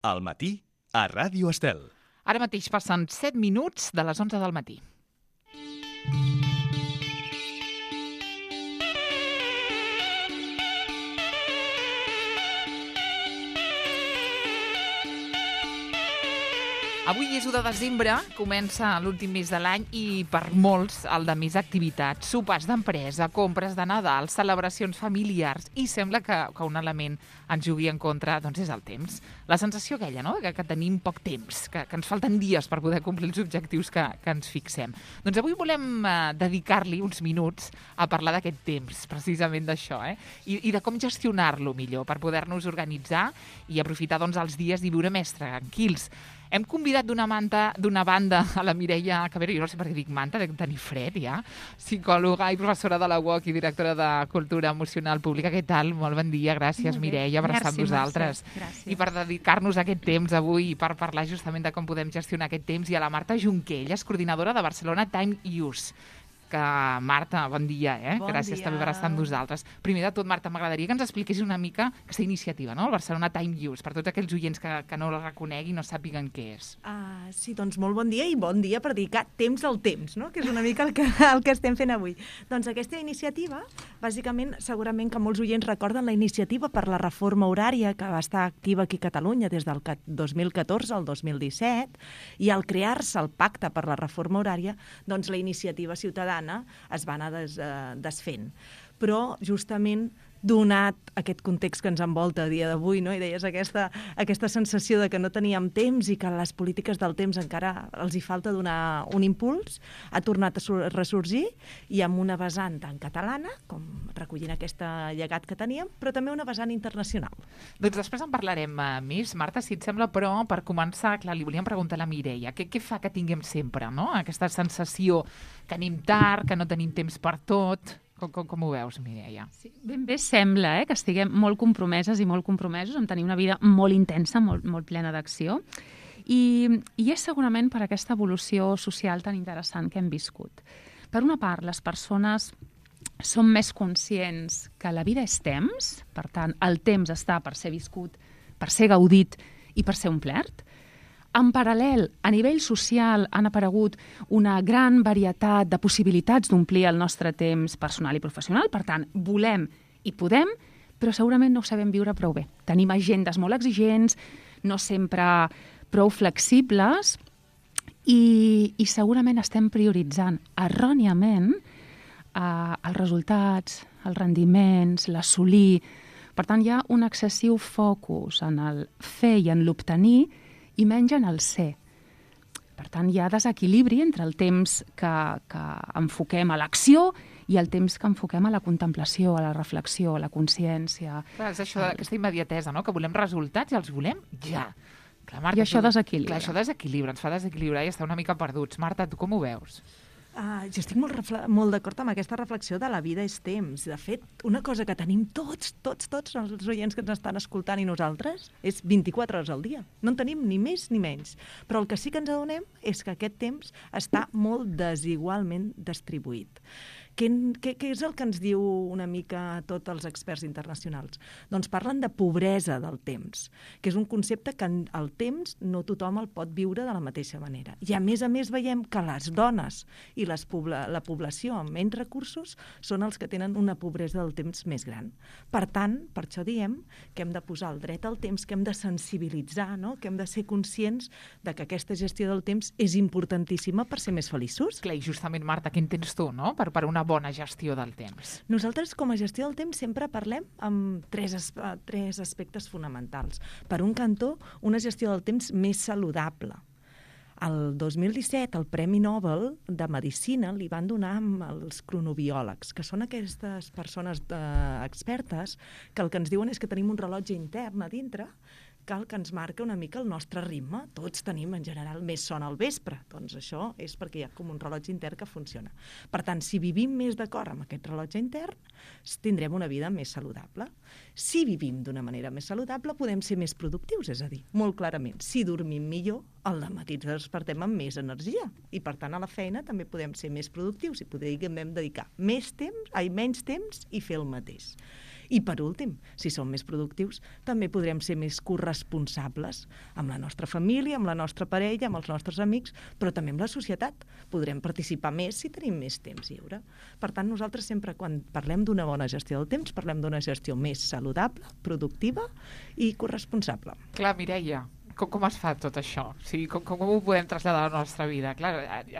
Al matí, a Ràdio Estel. Ara mateix passen 7 minuts de les 11 del matí. Avui és 1 de desembre, comença l'últim mes de l'any i per molts el de més activitats, sopars d'empresa, compres de Nadal, celebracions familiars i sembla que un element ens jugui en contra doncs és el temps. La sensació aquella, no?, que tenim poc temps, que ens falten dies per poder complir els objectius que ens fixem. Doncs avui volem dedicar-li uns minuts a parlar d'aquest temps, precisament d'això, i de com gestionar-lo millor per poder-nos organitzar i aprofitar doncs, els dies i viure més tranquils. Hem convidat d'una banda a la Mireia Cabero, jo no sé per què dic manta, dec tenir fred ja, psicòloga i professora de la UOC i directora de Cultura Emocional Pública. Què tal? Molt bon dia, gràcies Mireia per estar amb nosaltres. I per dedicar-nos a aquest temps avui i per parlar justament de com podem gestionar aquest temps, i a la Marta Junquelles, coordinadora de Barcelona Time Use. Que, Marta, bon dia, gràcies també per estar amb nosaltres. Primer de tot, Marta, m'agradaria que ens expliquessis una mica aquesta iniciativa, no?, el Barcelona Time Use, per tots aquells oients que no la reconeguin i no sàpiguen què és. Sí, doncs molt bon dia, i bon dia per dedicar temps al temps, no?, que és una mica el que estem fent avui. Doncs aquesta iniciativa, bàsicament, segurament que molts oients recorden la iniciativa per la reforma horària que va estar activa aquí a Catalunya des del 2014 al 2017, i al crear-se el pacte per la reforma horària, doncs la iniciativa ciutadana es va anar desfent. Però, justament, donat aquest context que ens envolta a dia d'avui, no?, i deies aquesta sensació de que no teníem temps i que les polítiques del temps encara els hi falta donar un impuls, ha tornat a ressorgir, i amb una vessant tan catalana, com recollint aquest llegat que teníem, però també una vessant internacional. Doncs després en parlarem més, Marta, si et sembla, però per començar, clar, li volíem preguntar a la Mireia, què fa que tinguem sempre, no?, aquesta sensació que anem tard, que no tenim temps per tot. Com ho veus, Mireia? Sí, ben bé sembla que estiguem molt compromeses i molt compromesos en tenir una vida molt intensa, molt plena d'acció. I és segurament per aquesta evolució social tan interessant que hem viscut. Per una part, les persones som més conscients que la vida és temps, per tant, el temps està per ser viscut, per ser gaudit i per ser omplert. En paral·lel, a nivell social han aparegut una gran varietat de possibilitats d'omplir el nostre temps personal i professional. Per tant, volem i podem, però segurament no ho sabem viure prou bé. Tenim agendes molt exigents, no sempre prou flexibles, i segurament estem prioritzant erròniament els resultats, els rendiments, l'assolir. Per tant, hi ha un excessiu focus en el fer i en l'obtenir, i menys en el ser. Per tant, hi ha desequilibri entre el temps que enfoquem a l'acció i el temps que enfoquem a la contemplació, a la reflexió, a la consciència. Clar, és això, aquesta immediatesa, no?, que volem resultats i els volem ja. Clar, Marta, I això desequilibra. Clar, això desequilibra, ens fa desequilibrar i estar una mica perduts. Marta, tu com ho veus? Jo estic molt d'acord amb aquesta reflexió de la vida és temps. De fet, una cosa que tenim tots els oients que ens estan escoltant i nosaltres és 24 hores al dia. No en tenim ni més ni menys. Però el que sí que ens adonem és que aquest temps està molt desigualment distribuït. Què és el que ens diu una mica tots els experts internacionals? Doncs parlen de pobresa del temps, que és un concepte que el temps no tothom el pot viure de la mateixa manera. I a més veiem que les dones i la població amb menys recursos són els que tenen una pobresa del temps més gran. Per tant, per això diem que hem de posar el dret al temps, que hem de sensibilitzar, no?, que hem de ser conscients de que aquesta gestió del temps és importantíssima per ser més feliços. Clar, i justament, Marta, què entens tu, no?, per una bona gestió del temps. Nosaltres, com a gestió del temps, sempre parlem amb tres aspectes fonamentals. Per un cantó, una gestió del temps més saludable. El 2017, el Premi Nobel de Medicina li van donar als cronobiòlegs, que són aquestes persones expertes que el que ens diuen és que tenim un rellotge intern a dintre que ens marca una mica el nostre ritme. Tots tenim, en general, més son al vespre. Doncs això és perquè hi ha com un rellotge intern que funciona. Per tant, si vivim més d'acord amb aquest rellotge intern, tindrem una vida més saludable. Si vivim d'una manera més saludable, podem ser més productius, és a dir, molt clarament, si dormim millor, al dematí ens despertem amb més energia i, per tant, a la feina també podem ser més productius i podem dedicar menys temps i fer el mateix. I per últim, si som més productius, també podrem ser més corresponsables amb la nostra família, amb la nostra parella, amb els nostres amics, però també amb la societat. Podrem participar més si tenim més temps lliure. Per tant, nosaltres sempre, quan parlem d'una bona gestió del temps, parlem d'una gestió més saludable, productiva i corresponsable. Clar, Mireia, com es fa tot això? O sigui, com ho podem traslladar a la nostra vida? Clar,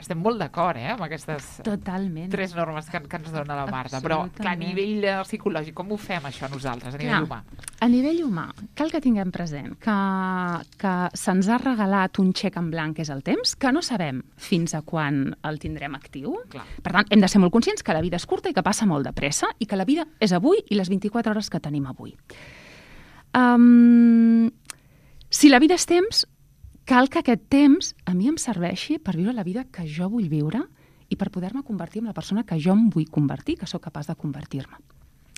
estem molt d'acord, amb aquestes Totalment. 3 normes que ens dona la Marta, però clar, a nivell psicològic, com ho fem això nosaltres, a nivell humà? A nivell humà, cal que tinguem present que se'ns ha regalat un xec en blanc, que és el temps, que no sabem fins a quan el tindrem actiu. Clar. Per tant, hem de ser molt conscients que la vida és curta i que passa molt de pressa i que la vida és avui i les 24 hores que tenim avui. Si la vida és temps, cal que aquest temps a mi em serveixi per viure la vida que jo vull viure i per poder-me convertir en la persona que jo em vull convertir, que sóc capaç de convertir-me.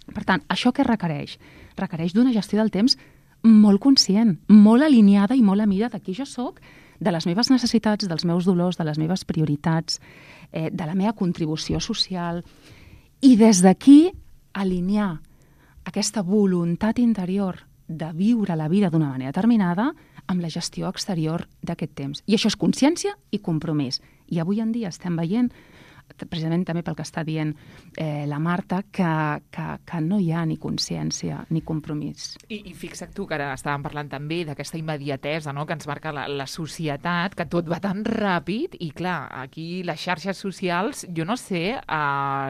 Per tant, això què requereix? Requereix d'una gestió del temps molt conscient, molt alineada i molt a mida de qui jo sóc, de les meves necessitats, dels meus dolors, de les meves prioritats, de la meva contribució social. I des d'aquí alinear aquesta voluntat interior de viure la vida d'una manera determinada amb la gestió exterior d'aquest temps. I això és consciència i compromís. I avui en dia estem veient, precisament també pel que està dient la Marta, que no hi ha ni consciència ni compromís. I fixa't tu, que ara estàvem parlant també d'aquesta immediatesa, no?, que ens marca la societat, que tot va tan ràpid, i clar, aquí les xarxes socials, jo no sé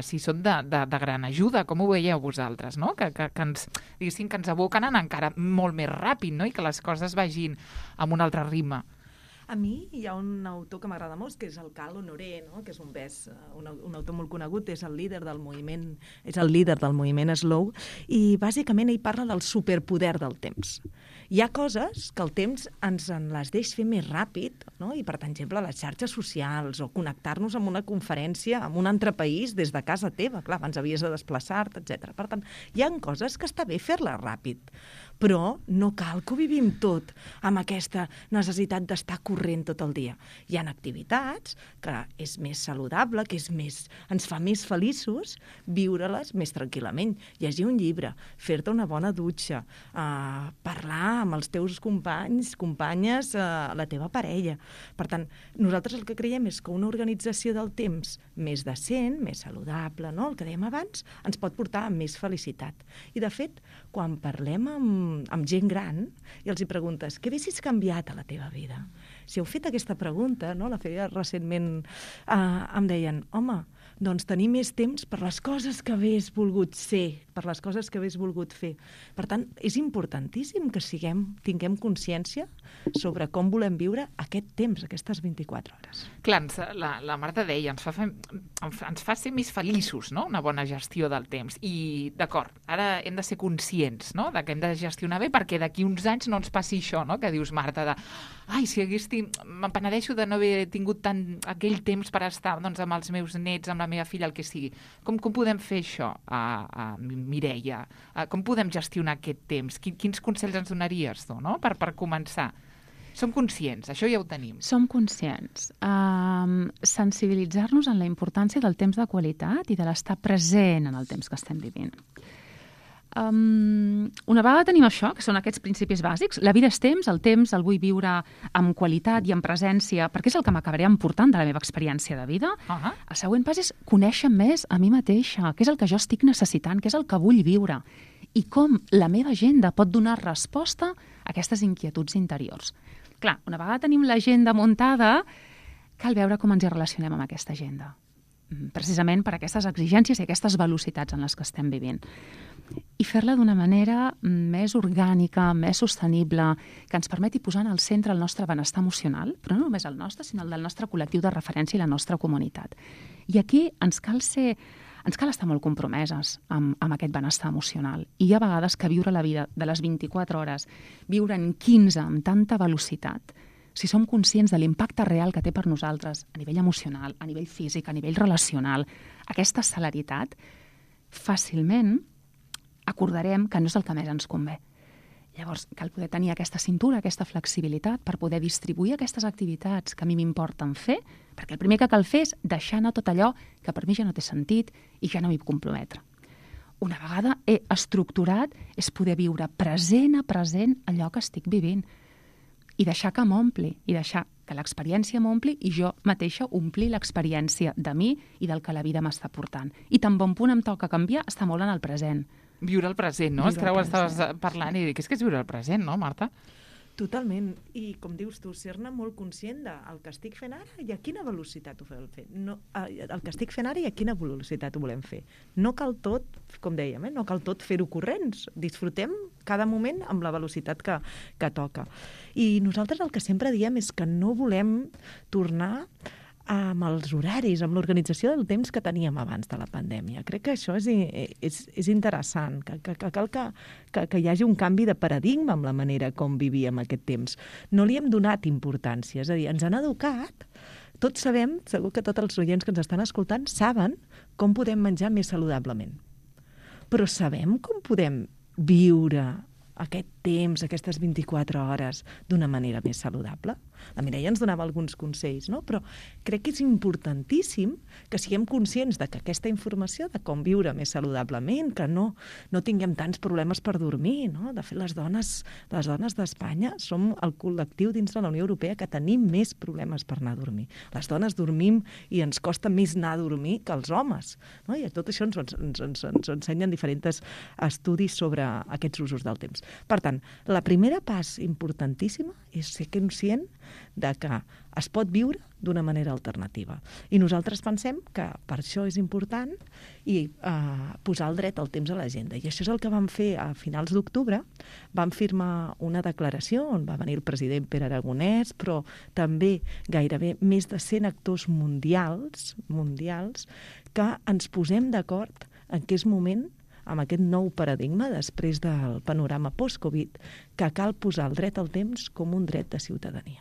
si són de gran ajuda, com ho veieu vosaltres, no?, que ens, diguéssim, que ens aboquen a anar encara molt més ràpid, no?, i que les coses vagin amb un altre ritme. A mi hi ha un autor que m'agrada molt, que és el Cal Honoré, no? Que és un autor molt conegut, és el líder del moviment Slow, i bàsicament ell parla del superpoder del temps. Hi ha coses que el temps ens les deix fer més ràpid, no? I per exemple, les xarxes socials o connectar-nos amb una conferència en un altre país des de casa teva, clar, abans havies de desplaçar-te, etc. Per tant, hi ha coses que està bé fer-les ràpid, però no cal que ho vivim tot amb aquesta necessitat d'estar corrent tot el dia. Hi ha activitats que és més saludable, que ens fa més feliços viure-les més tranquil·lament. Llegir un llibre, fer-te una bona dutxa, parlar amb els teus companys, companyes, la teva parella. Per tant, nosaltres el que creiem és que una organització del temps més decent, més saludable, no? El que dèiem abans, ens pot portar a més felicitat. I de fet, quan parlem amb gent gran i els hi preguntes què haguessis canviat a la teva vida? Si heu fet aquesta pregunta, no? La feia recentment, em deien, home, doncs tenir més temps per les coses que hagués volgut ser, per les coses que hagués volgut fer. Per tant, és importantíssim que tinguem consciència sobre com volem viure aquest temps, aquestes 24 hores. Clar, la Marta deia, ens fa ser més feliços, no?, una bona gestió del temps. I, d'acord, ara hem de ser conscients, no?, de que hem de gestionar bé perquè d'aquí uns anys no ens passi això, no?, que dius, Marta, me'n penedeixo de no haver tingut tant aquell temps per estar amb els meus nets, amb la meva filla, el que sigui. Com podem fer això, Mireia? Com podem gestionar aquest temps? Quins consells ens donaries tu, no?, per començar? Som conscients, això ja ho tenim. Som conscients. Sensibilitzar-nos en la importància del temps de qualitat i de l'estar present en el temps que estem vivint. Una vegada tenim això, que són aquests principis bàsics, la vida és temps, el vull viure amb qualitat i amb presència, perquè és el que m'acabaré emportant de la meva experiència de vida. El següent pas és conèixer més a mi mateixa, què és el que jo estic necessitant, què és el que vull viure, i com la meva agenda pot donar resposta a aquestes inquietuds interiors. Clar, una vegada tenim l'agenda muntada, cal veure com ens hi relacionem amb aquesta agenda, precisament per aquestes exigències i aquestes velocitats en les que estem vivint. I fer-la d'una manera més orgànica, més sostenible, que ens permeti posar en el centre el nostre benestar emocional, però no només el nostre, sinó el del nostre col·lectiu de referència i la nostra comunitat. I aquí ens cal estar molt compromeses amb aquest benestar emocional. I hi ha vegades que viure la vida de les 24 hores, viure en 15 amb tanta velocitat, si som conscients de l'impacte real que té per nosaltres a nivell emocional, a nivell físic, a nivell relacional, aquesta celeritat, fàcilment acordarem que no és el que més ens convé. Llavors, cal poder tenir aquesta cintura, aquesta flexibilitat per poder distribuir aquestes activitats que a mi m'importen fer, perquè el primer que cal fer és deixar anar tot allò que per mi ja no té sentit i ja no m'hi puc comprometre. una vegada he estructurat, és poder viure present a present allò que estic vivint i deixar que m'ompli, i deixar que l'experiència m'ompli i jo mateixa omplir l'experiència de mi i del que la vida m'està portant. I tan bon punt em toca canviar, està molt en el present. Viure el present, no? És que ara ho estaves parlant i dic, és que és viure el present, no, Marta? Totalment. I, com dius tu, ser-ne molt conscient del que estic fent ara i a quina velocitat ho fem fer. No, el que estic fent ara i a quina velocitat ho volem fer. No cal tot, com dèiem, no cal tot fer-ho corrents. Disfrutem cada moment amb la velocitat que toca. I nosaltres el que sempre diem és que no volem tornar amb els horaris, amb l'organització del temps que teníem abans de la pandèmia. Crec que això és interessant, que cal que hi hagi un canvi de paradigma amb la manera com vivíem aquest temps. No li hem donat importància, és a dir, ens han educat, tots sabem, segur que tots els oients que ens estan escoltant saben com podem menjar més saludablement. Però sabem com podem viure aquest temps, aquestes 24 hores, d'una manera més saludable? La Mireia ens donava alguns consells, no? Però crec que és importantíssim que siguem conscients de que aquesta informació de com viure més saludablement, que no tinguem tants problemes per dormir, no? De fet, les dones d'Espanya som el col·lectiu dins de la Unió Europea que tenim més problemes per anar a dormir. Les dones dormim i ens costa més anar a dormir que els homes, no? I tot això ens ensenyen diferents estudis sobre aquests usos del temps. Per tant, la primera pas importantíssima és ser conscient de que es pot viure d'una manera alternativa. I nosaltres pensem que per això és important posar el dret al temps a l'agenda. I això és el que vam fer a finals d'octubre. Vam firmar una declaració on va venir el president Pere Aragonès, però també gairebé més de 100 actors mundials que ens posem d'acord en què és moment, amb aquest nou paradigma, després del panorama post-Covid, que cal posar el dret al temps com un dret de ciutadania.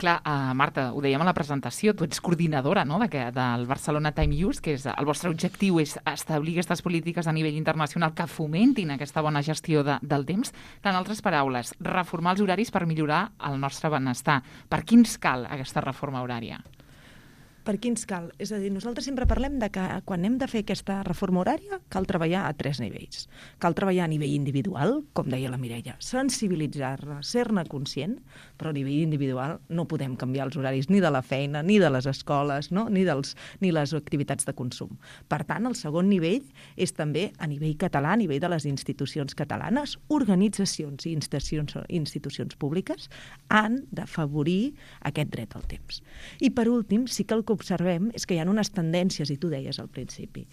Clar, Marta, ho dèiem a la presentació, tu ets coordinadora, no?, del Barcelona Time Use, que el vostre objectiu és establir aquestes polítiques a nivell internacional que fomentin aquesta bona gestió del temps. En altres paraules, reformar els horaris per millorar el nostre benestar. Per qui ens cal aquesta reforma horària? Per qui ens cal? És a dir, nosaltres sempre parlem de que quan hem de fer aquesta reforma horària cal treballar a 3 nivells. Cal treballar a nivell individual, com deia la Mireia, sensibilitzar-ne, ser-ne conscient, però a nivell individual no podem canviar els horaris ni de la feina, ni de les escoles, no? ni les activitats de consum. Per tant, el segon nivell és també a nivell català, a nivell de les institucions catalanes, organitzacions i institucions públiques han d'afavorir aquest dret al temps. I per últim, sí que el que observem és que hi ha unes tendències, i tu deies al principi,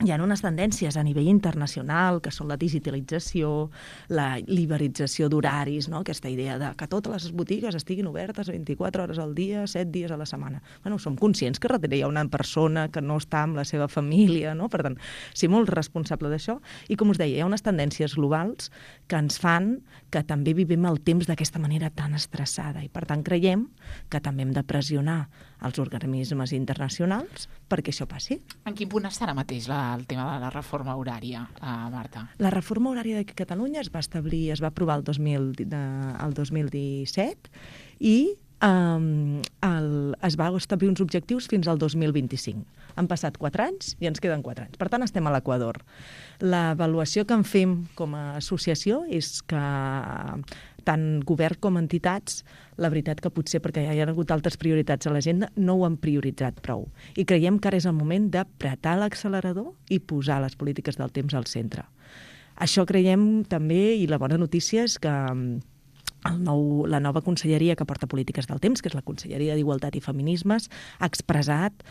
hi ha unes tendències a nivell internacional, que són la digitalització, la liberalització d'horaris, no? Aquesta idea de que totes les botigues estiguin obertes 24 hores al dia, 7 dies a la setmana. Bueno, som conscients que darrere hi ha una persona que no està amb la seva família, no? Per tant, ser molt responsable d'això. I com us deia, hi ha unes tendències globals que ens fan que també vivim el temps d'aquesta manera tan estressada. I per tant creiem que també hem de pressionar els organismes internacionals perquè això passi. En quin punt està ara mateix el tema de la reforma horària, Marta? La reforma horària de Catalunya es va aprovar el 2017 i es va establir uns objectius fins al 2025. Han passat 4 anys i ens queden 4 anys. Per tant, estem a l'equador. L'avaluació que en fem com a associació és que tant govern com entitats, la veritat que potser perquè hi ha hagut altres prioritats a l'agenda, no ho han prioritzat prou. I creiem que ara és el moment d'apretar l'accelerador i posar les polítiques del temps al centre. Això creiem també, i la bona notícia és que la nova conselleria que porta polítiques del temps, que és la Conselleria d'Igualtat i Feminismes, ha expressat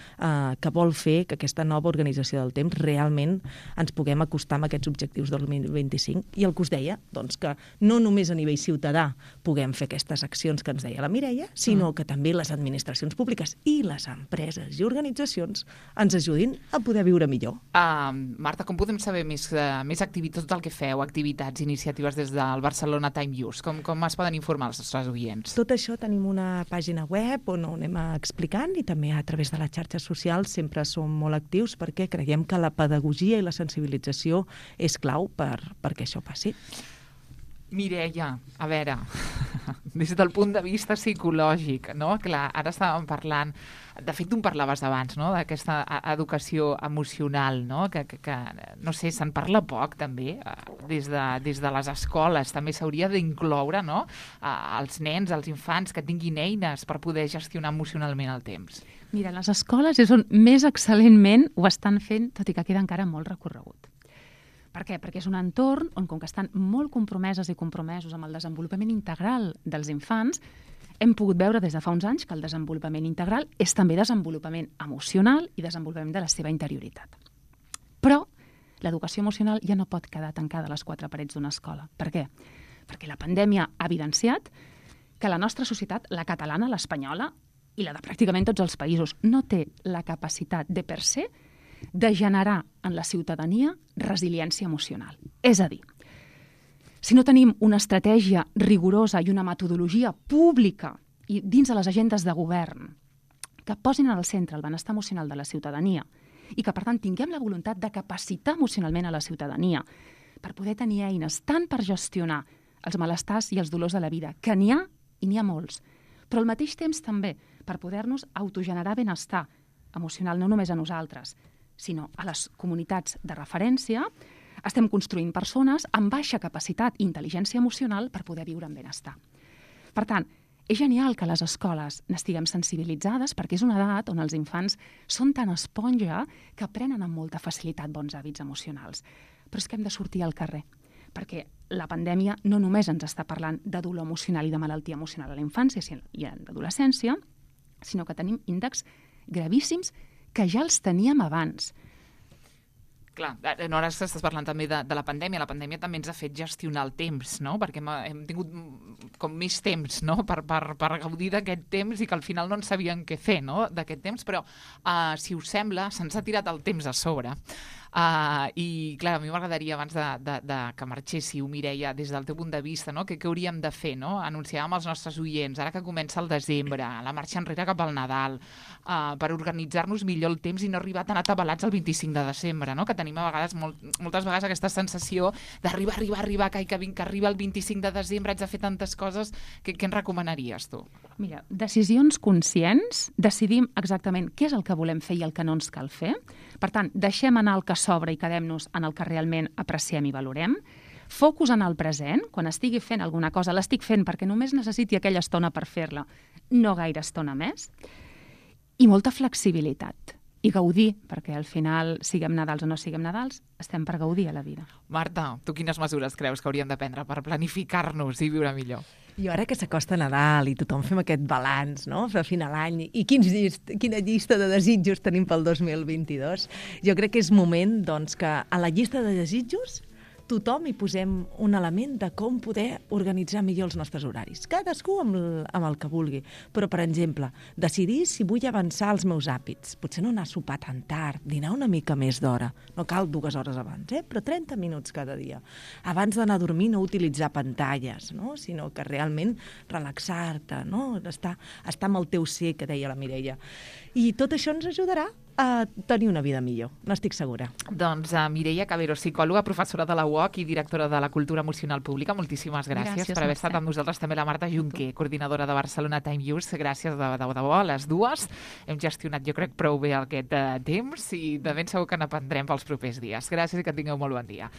que vol fer que aquesta nova organització del temps realment ens puguem acostar amb aquests objectius del 2025. I el que us deia, doncs, que no només a nivell ciutadà puguem fer aquestes accions que ens deia la Mireia, sinó que també les administracions públiques i les empreses i organitzacions ens ajudin a poder viure millor. Marta, com podem saber més activitats, tot el que feu, activitats, iniciatives des del Barcelona Time Use? Com es poden informar els nostres oients? Tot això tenim una pàgina web on ho anem explicant i també a través de les xarxes socials sempre som molt actius perquè creiem que la pedagogia i la sensibilització és clau perquè això passi. Mireia, a veure, des del punt de vista psicològic, no? Clar, ara estàvem parlant, de fet tu en parlaves abans, no? D'aquesta educació emocional, no? Que no sé, se'n parla poc també, des de les escoles també s'hauria d'incloure, no? Els nens, els infants que tinguin eines per poder gestionar emocionalment el temps. Mira, les escoles és on més excel·lentment ho estan fent, tot i que queda encara molt recorregut. Per què? Perquè és un entorn on, com que estan molt compromeses i compromesos amb el desenvolupament integral dels infants, hem pogut veure des de fa uns anys que el desenvolupament integral és també desenvolupament emocional i desenvolupament de la seva interioritat. Però l'educació emocional ja no pot quedar tancada a les quatre parets d'una escola. Per què? Perquè la pandèmia ha evidenciat que la nostra societat, la catalana, l'espanyola i la de pràcticament tots els països, no té la capacitat de per se de generar en la ciutadania resiliència emocional. És a dir, si no tenim una estratègia rigorosa i una metodologia pública i dins de les agendes de govern que posin al centre el benestar emocional de la ciutadania i que, per tant, tinguem la voluntat de capacitar emocionalment a la ciutadania per poder tenir eines tant per gestionar els malestars i els dolors de la vida, que n'hi ha i n'hi ha molts, però al mateix temps també per poder-nos autogenerar benestar emocional no només a nosaltres, sinó a les comunitats de referència, estem construint persones amb baixa capacitat i intel·ligència emocional per poder viure en benestar. Per tant, és genial que a les escoles n'estiguem sensibilitzades perquè és una edat on els infants són tan esponja que aprenen amb molta facilitat bons hàbits emocionals. Però és que hem de sortir al carrer, perquè la pandèmia no només ens està parlant de dolor emocional i de malaltia emocional a la infància i a l'adolescència, sinó que tenim índexs gravíssims que ja els teníem abans. Clar, ara estàs parlant també de la pandèmia. La pandèmia també ens ha fet gestionar el temps, no? Perquè hem tingut com més temps, no? Per gaudir d'aquest temps i que al final no en sabíem què fer, no? D'aquest temps, però si us sembla, se'ns ha tirat el temps a sobre. I clar, a mi m'agradaria abans de que marxéssiu, Mireia, des del teu punt de vista, no? Què hauríem de fer, no? Anunciàvem als nostres oients, ara que comença el desembre, la marxa enrere cap al Nadal, per organitzar-nos millor el temps i no arribar tan atabalats el 25 de desembre, no? Que tenim a vegades, moltes vegades aquesta sensació d'arribar, que arriba el 25 de desembre, haig de fer tantes coses. Què ens recomanaries, tu? Mira, decisions conscients, decidim exactament què és el que volem fer i el que no ens cal fer. Per tant, deixem anar el que sobra i quedem-nos en el que realment apreciem i valorem. Focus en el present. Quan estigui fent alguna cosa, l'estic fent perquè només necessiti aquella estona per fer-la, no gaire estona més. I molta flexibilitat. I gaudir, perquè al final, siguem Nadals o no siguem Nadals, estem per gaudir a la vida. Marta, tu quines mesures creus que hauríem de prendre per planificar-nos i viure millor? Jo ara que s'acosta Nadal i tothom fem aquest balanç, no?, a final d'any, i quina llista de desitjos tenim pel 2022, jo crec que és moment, doncs, que a la llista de desitjos tothom hi posem un element de com poder organitzar millor els nostres horaris. Cadascú amb el que vulgui. Però, per exemple, decidir si vull avançar els meus hàbits. Potser no anar a sopar tan tard, dinar una mica més d'hora. No cal 2 hores abans, però 30 minuts cada dia. Abans d'anar a dormir no utilitzar pantalles, no? Sinó que realment relaxar-te, no? Estar amb el teu ser, que deia la Mireia. I tot això ens ajudarà a tenir una vida millor, n'estic segura. Doncs Mireia Cabero, psicòloga, professora de la UOC i directora de la Cultura Emocional Pública, moltíssimes gràcies per haver estat amb nosaltres. També la Marta Junquer, coordinadora de Barcelona Time Use. Gràcies de debò a les dues. Hem gestionat, jo crec, prou bé aquest temps i de ben segur que n'aprendrem pels propers dies. Gràcies i que tingueu molt bon dia.